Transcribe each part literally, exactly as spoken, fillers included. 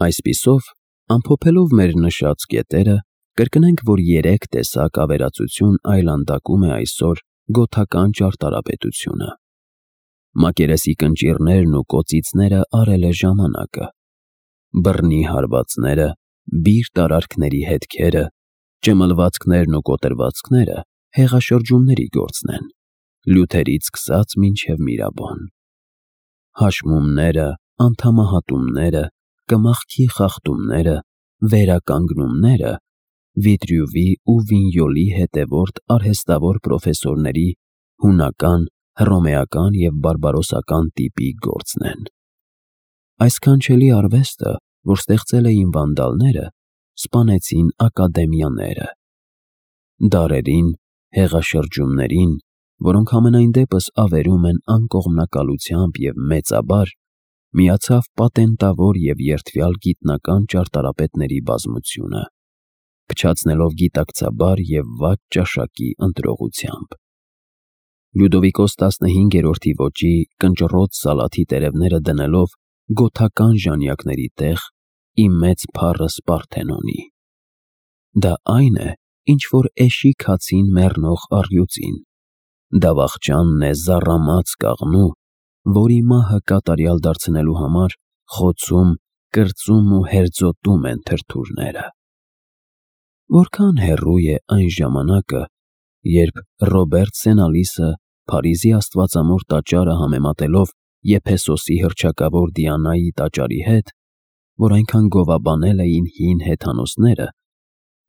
Այսպիսով, ամփոփելով մեր նշած կետերը, կրկնենք, որ երեք տեսակ ավերածություն այլանդակում է այսօր գոթական ճարտարապետությունը։ Մակերեսի կնճիռներն ու կոծիցները արել է ժամանակը, բռնի հարվածները, բիրտ արարքների հետքերը, ճմլվածքներն ու կոտրվածքները հեղաշրջումների գործն են, լյութերից սկսած մինչև Միրաբոն։ Հաշմումները, անդամահատումները, կմախքի խախտումները, վերականգնումները Վիտրյուվի ու Վինյոլի հետևորդ արհեստավոր պրոֆեսորների հունական, հռոմեական և բարբարոսական տիպի գործն են։ Այս քանչելի արվեստը, որ ստեղծել էին վանդալները, սպանեցին ակադեմիաները։ Դարերին, հեղաշրջումներին, որոնք համենայն դեպս ավերում են անկողմնակալությամբ և մեծաբար, միացավ պատենտավոր և երդվյալ գիտնական ճարտարապետների բազմությունը, փչացնելով գիտակցաբար և վատ ճաշակի ընտրողությամբ։ Լյուդովիկոս տասնհինգերորդի ոճի կնճռոտ սալաթի տերևները դնելով գոթական ժանյակների տեղ իմ մեծ փառս Պարթենոնի։ Դա այն է, ինչ որ էշի քացին մեռնող առյուծին, դա վախճանն է զառամած կաղնու, որի մահը կատարյալ դարձնելու համար խոցում, կրծում ու հերձոտում են թրթուրները։ Որքան հեռու է այն ժամանակը, երբ Ռոբերտ Սենալիսը Փարիզի Աստվածամոր տաճարը համեմատելով Եփեսոսի հռչակավոր Դիանայի տաճարի հետ, որ այնքան գովաբանել էին հին հեթանոսները,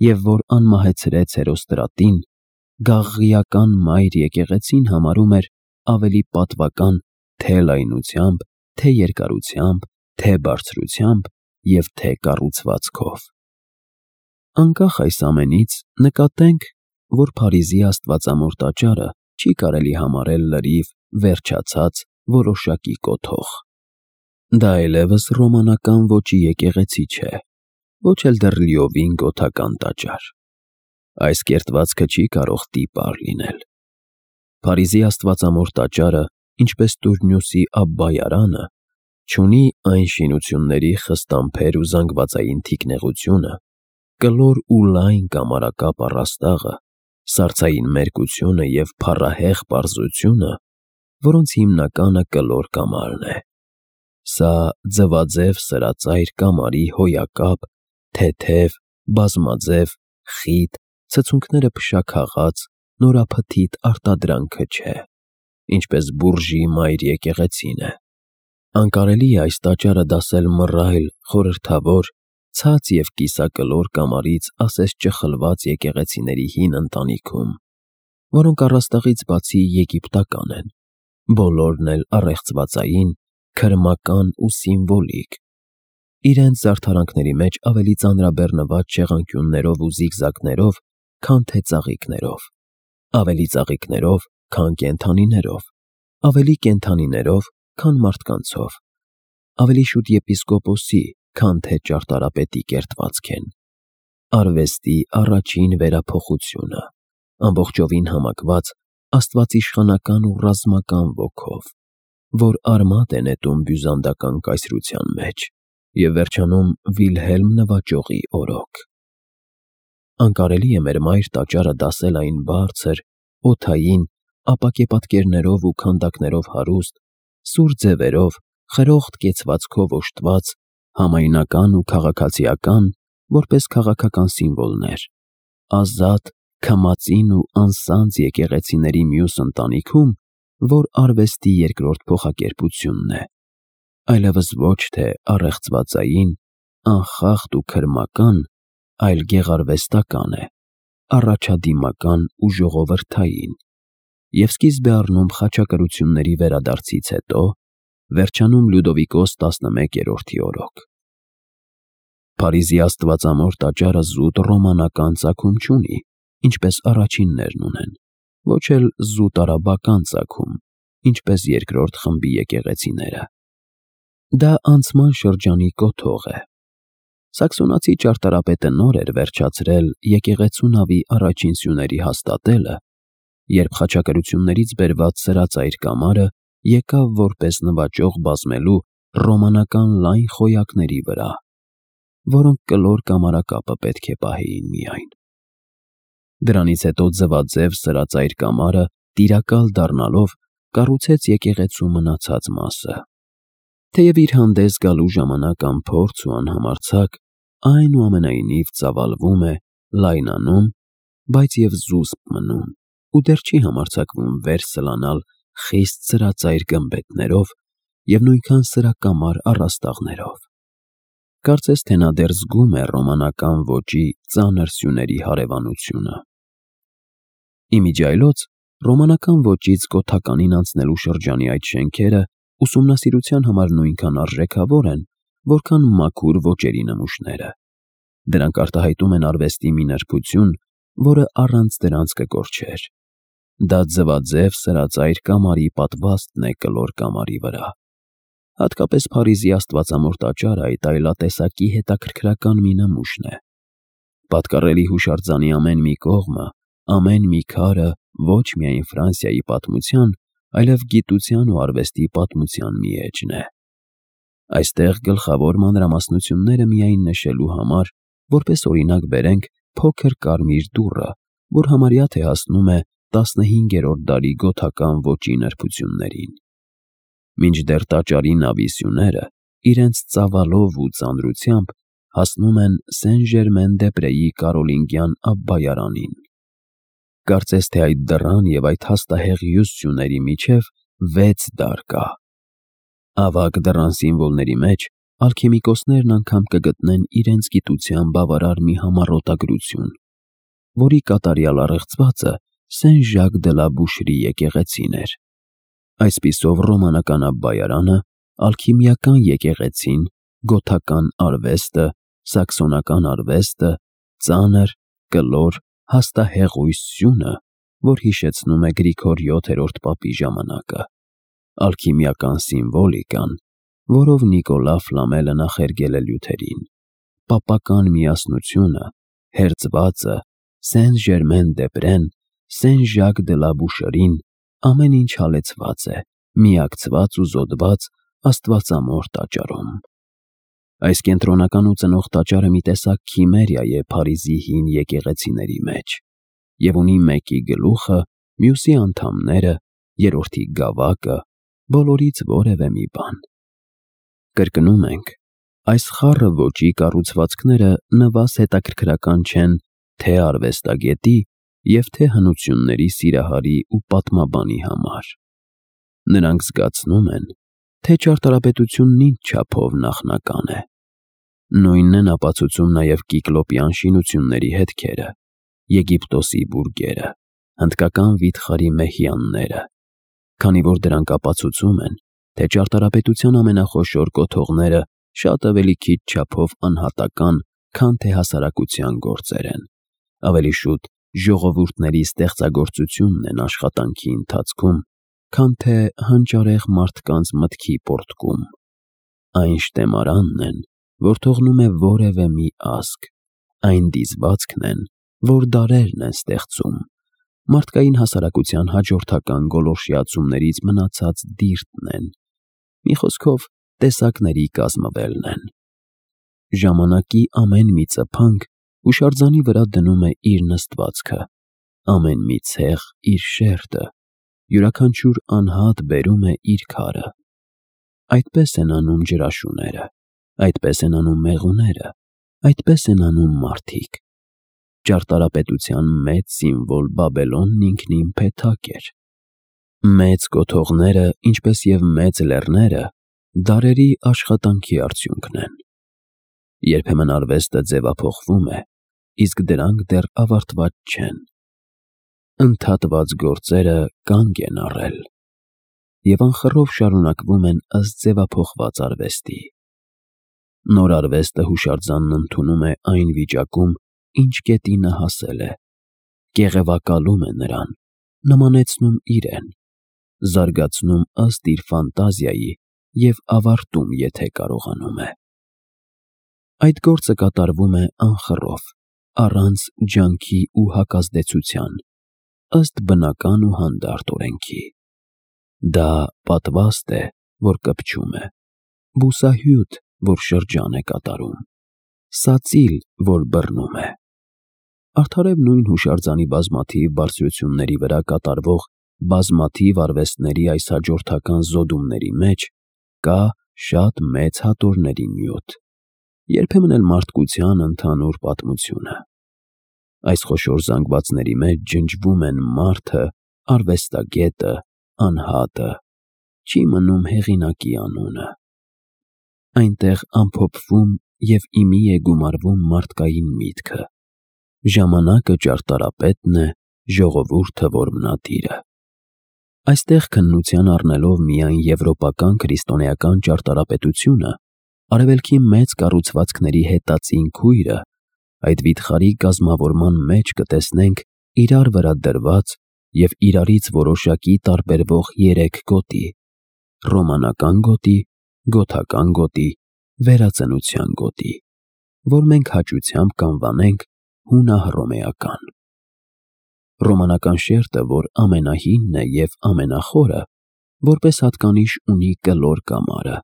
և որ անմահեցրեց Հերոստրատին, գաղղիական մայր եկեղեցին համարում էր ավելի պատվական թե լայնությամբ, թե երկարությամբ, թե բարձրությամբ և թե կառուցվածքով։ Անկախ այս ամենից, նկատենք, որ Փարիզի Աստվածամոր տաճարը չի կարելի համարել լրիվ վերջացած որոշակի կոթող։ Դա այլևս ռոմանական ոճի եկեղեցի չէ, ոչ էլ դեռ լիովին գոթական տաճար։ Այս կերտվածքը չի կարող տիպար լինել։ Փարիզի Աստվածամոր տաճարը, ինչպես Տուրնուսի Աբբայարանը, չունի այն շինությունների խստամբեր ու զանգվածային թիկնեղությունը, կլոր ու լայն կամարակապ առաստաղը, սառցային մերկությունը և փառահեղ պարզությունը, որոնց հիմնականը կլոր կամարն է։ Սա ձվաձև սրածայր կամարի հոյակապ, թեթև, բազմաձև, խիտ, ցցունքները փշաքաղած, նորափթիթ արտադրանքը չէ, ինչպես Բուրժի մայր եկեղեցին է։ Անկարելի է այս տաճարը դասել մռայլ, խորհրդավոր, ցած և կիսակլոր կամարից ասես ճխլված եկեղեցիների հին ընտանիքում, որոնք առաստաղից բացի եգիպտական են, բոլորն էլ առեղծվածային, քրմական ու սիմվոլիկ, իրենց զարդարանքների մեջ ավելի ծանրաբեռնված շեղանկյուններով ու զիգզագներով, քան թե ծաղիկներով, ավելի ծաղիկներով, քան կենդանիներով, ավելի կենդանիներով, քան մարդկանցով, ավելի շուտ եպիսկոպոսի, քան թե ճարտարապետի կերտվածք են։ Արվեստի առաջին վերափոխությունը, ամբողջովին համակված աստվածիշխանական ու ռազմական ոգով, որ արմատ է նետում բյուզանդական կայսրության մեջ և վերջանում Վիլհելմ նվաճողի օրոք։ Անկարելի է մեր մայր տաճարը դասել այն բարձր, օդային, ապակե պատկերներով ու քանդակներով հարուստ, սուր ձևերով, խրոխտ կեցվածքով օժտված, համայնական ու քաղաքացիական, որպես քաղաքական սիմվոլներ, ազատ, քմածին ու անսանձ եկեղեցիների մյուս ընտանիքում, որ արվեստի երկրորդ փոխակերպությունն է, այլևս ոչ թե առեղծվածային, անխախտ ու քրմական, այլ գեղարվեստական է, առաջադիմական ու ժողովրդային, և սկիզբ է առնում խաչակրությունների վերադարձից հետո, վերջանում Լյուդովիկոս տասնմեկերորդի օրոք։ Փարիզի Աստվածամոր տաճարը զուտ ռոմանական ծագում չունի, ինչպես առաջիններն ունեն, ոչ էլ զուտ արաբական ծագում, ինչպես երկրորդ խմբի եկեղեցիները։ Դա անցման շրջանի կոթող է։ Սաքսոնացի ճարտարապետը նոր էր վերջացրել եկեղեցու նավի առաջին սյուների հաստատելը, երբ խաչակրություններից բերված սրածայր կամարը եկավ որպես նվաճող բազմելու ռոմանական լայն խոյակների վրա, որոնք կլոր կամարակապը պետք է պահեին միայն։ Դրանից հետո ձվաձև սրածայր կամարը տիրակալ դառնալով կառուցեց եկեղեցու մնացած մասը։ Թեև իր հանդես գալու ժամանակ անփորձ ու անհամարձակ, այնուամենայնիվ ծավալվում է, լայնանում, բայց և զուսպ մնում ու դեռ չի համարձակվում վեր սլանալ խիստ սրածայր գմբեթներով և նույնքան սրակամար առաստաղներով։ Կարծես թե նա դեռ զգում է ռոմանական ոճի ծանր սյուների հարևանությունը։ Իմիջիայլոց ռոմանական ոճից գոթականին անցնելու շրջանի այդ շենքերը ուսումնասիրության համար նույնքան արժեքավոր են, որքան մաքուր ոճերի նմուշները։ Դրանք արտահայտում են արվեստի մի նրբություն, որը առանց դրանց կկորչեր։ Դա ձվաձև սրածայր կամարի պատվաստն է կլոր կամարի վրա։ Հատկապես Փարիզի Աստվածամոր տաճարը այդ այլատեսակի հետաքրքրական մի նմուշն է։ Պատկառելի հուշարձանի ամեն մի կողմը, ամեն մի քարը ոչ միայն Ֆրանսիայի պատմության, այլև գիտության ու արվեստի պատմության մի էջն է։ Այստեղ գլխավոր մանրամասնությունները միայն նշելու համար, որպես օրինակ բերենք փոքր կարմիր դուռը, որ համարյա թե հասնում է տասնհինգերորդ դարի գոթական ոճի նրբություններին։ Մինչդեռ տաճարի նավի սյուները իրենց ծավալով ու ծանրությամբ հասնում են Սեն-Ժերմեն-դե-Պրեի կարոլինգյան Աբբայարանին։ Կարծես թե այդ դռան և այդ հաստահեղ մյուս սյուների միջև վեց դար կա։ Ավագ դռան սիմվոլների մեջ ալքեմիկոսներն անգամ կգտնեն իրենց գիտության բավարար մի համառոտագրություն, որի կատարյալ առեղծվածը Սեն-Ժակ դը լա Բուշրի եկեղեցին էր։ Այսպիսով ռոմանական Աբբայարանը, ալքիմիական եկեղեցին, գոթական արվեստը, սաքսոնական արվեստը, ծանր, կլոր, հաստահեղույս սյունը, որ հիշեցնում է Գրիգոր յոթերորդ պապի ժամանակը, ալքիմիական սիմվոլիկան, որով Նիկոլա Ֆլամելը նախերգել է Լյութերին, պապական միասնությունը, հերձվածը, Սեն-Ժերմեն-դե-Պրեն, Սեն-Ժակ դը լա Բուշրին, ամեն ինչ հալեցված է, միակցված ու զոդված Աստվածամոր տաճարում։ Այս կենտրոնական ու ծնող տաճարը մի տեսակ քիմերիա է Փարիզի հին եկեղեցիների մեջ և ունի մեկի գլուխը, մյուսի անդամները, երրորդի գավակը, բոլորից որևէ մի բան։ Կրկնում ենք, այս խառը ոճի կառուցվածքները նվազ հետաքրքրական չեն թե արվեստագետի և թե հնությունների սիրահարի ու պատմաբանի համար։ Նրանք զգացնում են, թե ճարտարապետությունն ինչ չափով նախնական է։ Նույնն են ապացուցում նաև կիկլոպյան շինությունների հետքերը, Եգիպտոսի բուրգերը, հնդկական վիթխարի մեհյանները, քանի որ դրանք ապացուցում են, թե ճարտարապետության ամենախոշոր կոթողները շատ ավելի քիչ չափով անհատական, քան թե հասարակության գործեր են, ավելի շուտ ժողովուրդների ստեղծագործությունն են աշխատանքի ընթացքում, քան թե հանճարեղ մարդկանց մտքի պոռթկում։ Այն շտեմարանն են, որ թողնում է որևէ մի ազգ, այն դիզվածքն են, որ դարերն են ստեղծում, մարդկային հասարակության հաջորդական գոլորշիացումներից մնացած դիրդն են, մի խոսքով տեսակների կազմվելն են։ Ժամանակի ամեն մի ծփանք հուշարձանի վրա դնում է իր նստվածքը, ամեն մի ցեղ իր շերտը, յուրաքանչյուր անհատ բերում է իր քարը։ Այդպես են անում ջրաշուները, այդպես են անում մեղուները, այդպես են անում մարդիկ։ Ճարտարապետության մեծ սիմվոլ Բաբելոնն ինքնին փեթակ էր։ Մեծ կոթողները, ինչպես և մեծ լեռները, դարերի աշխատանքի արդյունքն են։ Երբեմն արվեստը ձևափոխվում է, իսկ դրանք դեռ ավարտված չեն։ Ընդհատված գործերը կանգ են առել և անխռով շարունակվում են ըստ ձևափոխված արվեստի։ Նոր արվեստը հուշարձանն ընդունում է այն վիճակում, ինչ կետի նա հասել է, կեղևակալում է նրան, նմանեցնում իրեն, զարգացնում ըստ իր ֆանտազիայի և ավարտում, եթե կարողանում է։ Այդ գործը կատարվում է անխռով, առանց ջանքի ու հակազդեցության, ըստ բնական ու հանդարտ օրենքի։ Դա պատվաստ է, որ կպչում է, բուսահյութ, որ շրջան է կատարում, սածիլ, որ բռնում է։ Արդարև նույն հուշարձանի բազմաթիվ բարձրությունների վրա կատարվող բազմաթիվ արվեստների այս հաջորդական զոդումների մեջ կա շատ մեծ հատորների նյութ, երբեմն էլ մարդկության ընդհանուր պատմությունը։ Այս խոշոր զանգվածների մեջ ջնջվում են մարդը, արվեստագետը, անհատը, չի մնում հեղինակի անունը։ Այնտեղ ամփոփվում և իմի է գումարվում մարդկային միտքը։ Ժամանակը ճարտարապետն է, ժողովուրդը որմնատիրը։ Այստեղ քննության առնելով միայն եվրոպական քրիստոնեական ճարտարապետությունը, արևելքի մեծ կառուցվածքների հետածին քույրը, այդ վիթխարի կազմավորման մեջ կտեսնենք իրար վրա դրված և իրարից որոշակի տարբերվող երեք գոտի՝ ռոմանական գոտի, գոթական գոտի, վերածնության գոտի, որ մենք հաճությամբ կանվանենք հունահռոմեական։ Ռոմանական շերտը, որ ամենահինն է և ամենախորը, որպես հատկանիշ ունի կլոր կամարը,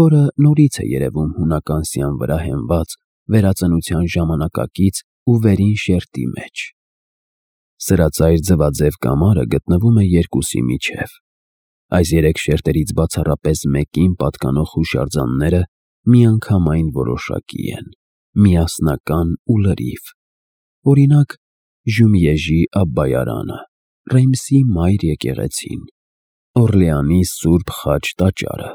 որը նորից է երևում հունական սյան վրա հենված վերածնության ժամանակակից ու վերին շերտի մեջ։ Սրածայր ձվաձև կամարը գտնվում է երկուսի միջև։ Այս երեք շերտերից բացառապես մեկին պատկանող հուշարձանները միանգամայն որոշակի են, միասնական ու լրիվ։ Օրինակ, Ժումիեժի Աբբայարանը, Ռեյմսի Մայր եկեղեցին, Օրլեանի Սուրբ Խաչ տաճարը։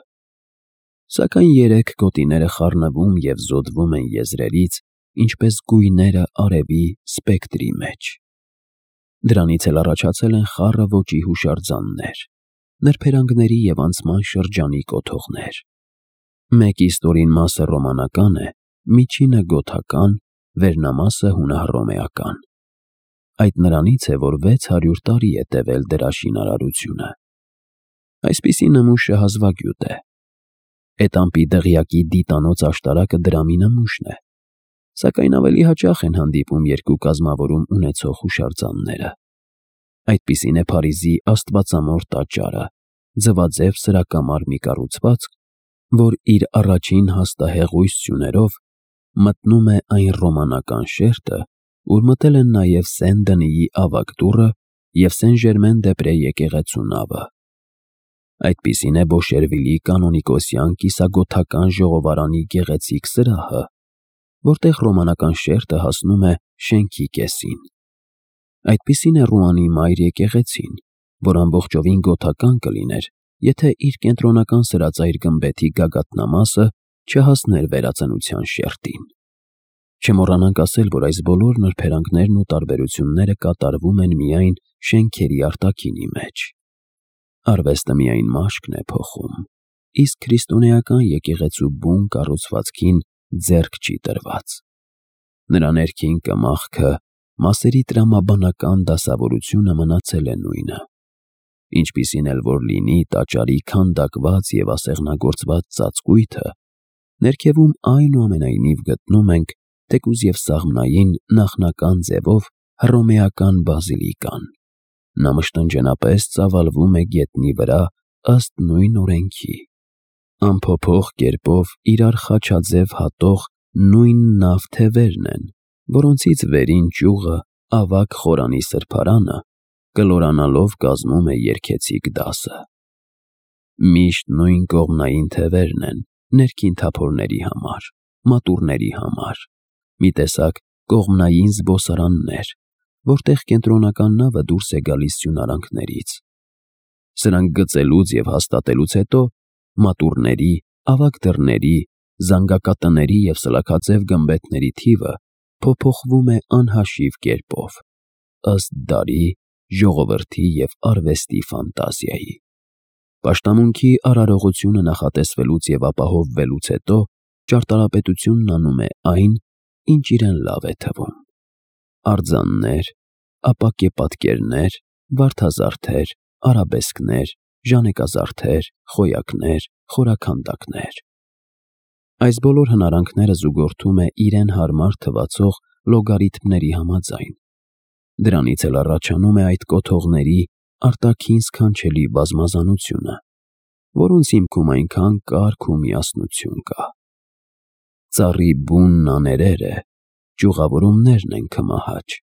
Սակայն երեք գոտիները խառնվում և զոդվում են եզրերից, ինչպես գույները արևի սպեկտրի մեջ։ Դրանից էլ առաջացել են խառը ոճի հուշարձաններ, նրբերանգների և անցման շրջանի կոթողներ։ Մեկի ստորին մասը ռոմանական է, միջինը գոթական, վերնամասը հունահռոմեական։ Այդ նրանից է, որ վեց հարյուր տարի է տևել դրա շինարարությունը։ Այսպիսի նմուշը հազվագյուտ է։ Էտամպի դղյակի դիտանոց աշտարակը դրամի նմուշն է, սակայն ավելի հաճախ են հանդիպում երկու կազմավորում ունեցող հուշարձանները։ Այդպիսին է Փարիզի Աստվածամոր տաճարը, ձվաձև սրակամար մի կառուցվածք, որ իր առաջին հաստահեղույց սյուներով մտնում է այն ռոմանական շերտը, ուր մտել են նաև Սեն Դնիի ավագ դուռը և Սեն Ժերմեն դե Պրե եկեղեցու նավը։ Այդպիսին է Բոշերվիլի կանոնիկոսյան կիսագոթական ժողովարանի գեղեցիկ սրահը, որտեղ ռոմանական շերտը հասնում է շենքի կեսին։ Այդպիսին է Ռուանի Մայր եկեղեցին, որ ամբողջովին գոթական կլիներ, եթե իր կենտրոնական սրածայր գմբեթի գագաթնամասը չհասներ վերածնության շերտին։ Չմոռանանք ասել, որ այս բոլոր նրբերանգներն ու տարբերությունները կատարվում են միայն շենքերի արտաքինի մեջ։ Արվեստը միայն մաշկն է փոխում, իսկ քրիստոնեական եկեղեցու բուն կառուցվածքին ձեռք չի տրված։ Նրա ներքին կմախքը, մասերի տրամաբանական դասավորությունը մնացել է նույնը։ Ինչպիսին էլ որ լինի տաճարի քանդակված և ասեղնագործված ծածկույթը, ներքևում այնուամենայնիվ գտնում ենք, թեկուզ և սաղմնային նախնական ձևով, հռոմեական բազիլիկան։ Նա մշտնջենապես ծավալվում է գետնի վրա ըստ նույն օրենքի։ Անփոփոխ կերպով իրար խաչաձև հատող նույն նավ թևերն են, որոնցից վերին ճյուղը, ավագ խորանի սրբարանը, կլորանալով կազմում է երգեցիկ դասը։ Միշտ նույն կողմնային թևերն են ներքին թափորների համար, մատուռների համար, մի տեսակ կողմնային զբոսարաններ, որտեղ կենտրոնական նավը դուրս է գալիս սյունարանքներից։ Սրանք գծելուց և հաստատելուց հետո մատուռների, ավագ դռների, զանգակատների և սլաքաձև գմբեթների թիվը փոփոխվում է անհաշիվ կերպով, ըստ դարի, ժողովրդի և արվեստի ֆանտազիայի։ Պաշտամունքի արարողությունը նախատեսվելուց և ապահովվելուց հետո ճարտարապետությունն անում է այն, ինչ իրեն լավ է թվում։ Արձաններ, ապակեպատկերներ, վարդազարդեր, արաբեսկներ, ժանեկազարդեր, խոյակներ, խորաքանդակներ։ Այս բոլոր հնարանքները զուգորդում է իրեն հարմար թվացող լոգարիթմների համաձայն։ Դրանից էլ առաջանում է այդ կոթողների արտաքին սքանչելի բազմազանությունը, որոնց հիմքում այնքան կարգ ու միասնություն կա։ Ծառի բուն աներերը ճյուղավորումներն են քմահաճ։